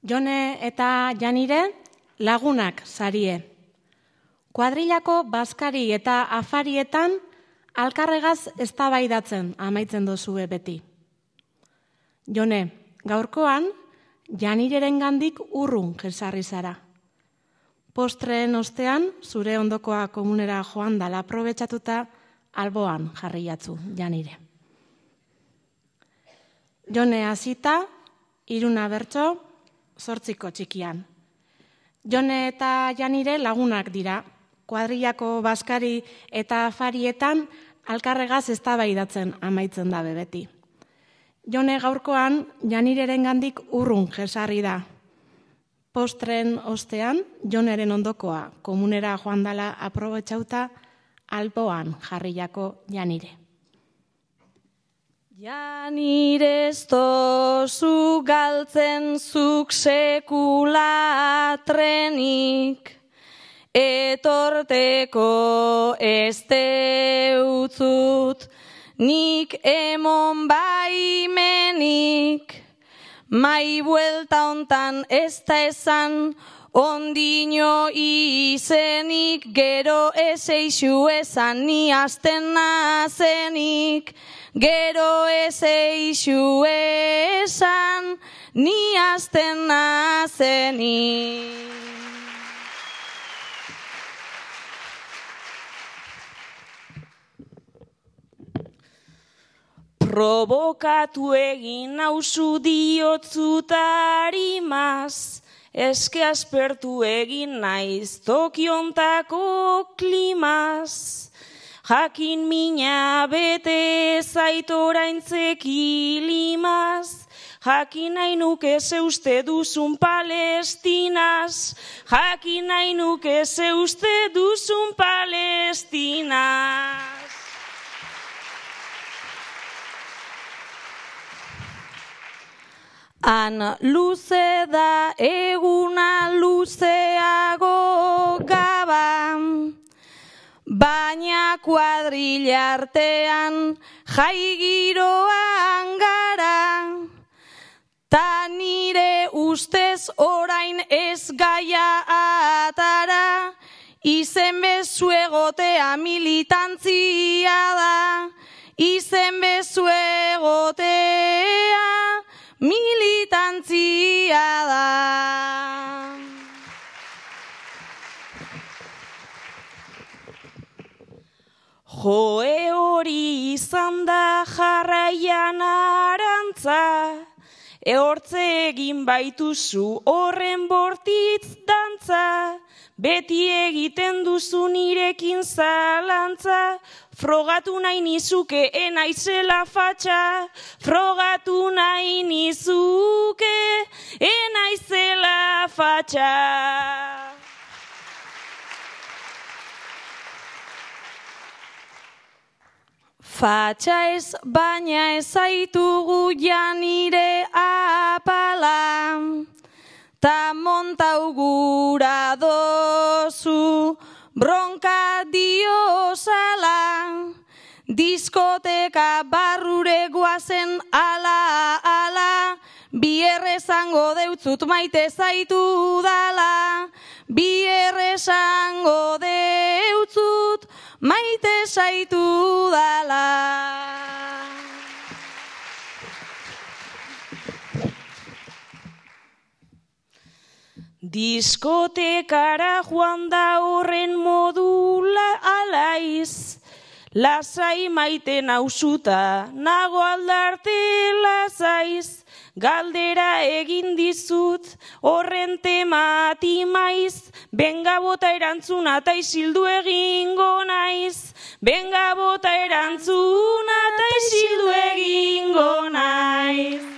Jone eta Janire lagunak sarie. Kuadrilako bazkari eta afarietan alkarregaz eztabaidatzen amaitzen dozue beti. Jone, gaurkoan Janirerengandik urrun jesarri zara. Postreen ostean zure ondokoa komunera joan dala aprobetxatuta alboan jarri jatzu Janire. Jone hasita, 3 bertso, 8 txikian. Jone eta Janire lagunak dira. Kuadrilako bazkari eta afarietan alkarregaz eztabaidatzen amaitzen da beti. Jone gaurkoan Janirerengandik urrun jesarri da. Postren ostean, Joneren ondokoa komunera joan dala aprobetxauta alboan jarriako Janire. Janire ez dozu galtzen zuk sekula trenik, etorteko ez deutzut nik emon baimenik, mai buelta hontan ez da esan ondino izenik, gero ez eixu esan ni hasten nazenik, gero ez eixu esan ni hasten nazenik. Provokatu egin nauzu diotzutarimaz, eske aspertu egin naiz tokiontako klimaz. Jakin mina bete zait oraintzeki limaz, jakin nahi nuke ze uste duzun Palestinaz, jakin nahi nuke ze uste duzun Palestinaz. Han luze da eguna luzeago gaban, baina kuadrilla artean jai giroan gara, ta nire ustez orain ez gaia atara, izen bezu egotea militantzia da, izen bezu egotea militantzia da. Joe hori izan da jarraian arantza, ehortze egin baituzu horren bortitz dantza, beti egiten duzu nirekin zalantza, frogatu nahi nizuke enaizela fatxa, frogatu nahi nizuke enaizela fatxa. Fatxa ez, baina ez zaitugu Janire apala, ta montau gura dozu bronka diozala, diskoteka barrure guazen ala, bierre esango deutzut maite zaitu dala, bierre esango deutzut maite zaitu dala. Diskotekara joan da horren modula alaiz, lasai maite nauzuta, nago aldarte lasaiz, galdera egin dizut horren temati maiz, benga bota erantzuna ta isildu egingo naiz, benga bota erantzuna ta isildu egingo naiz.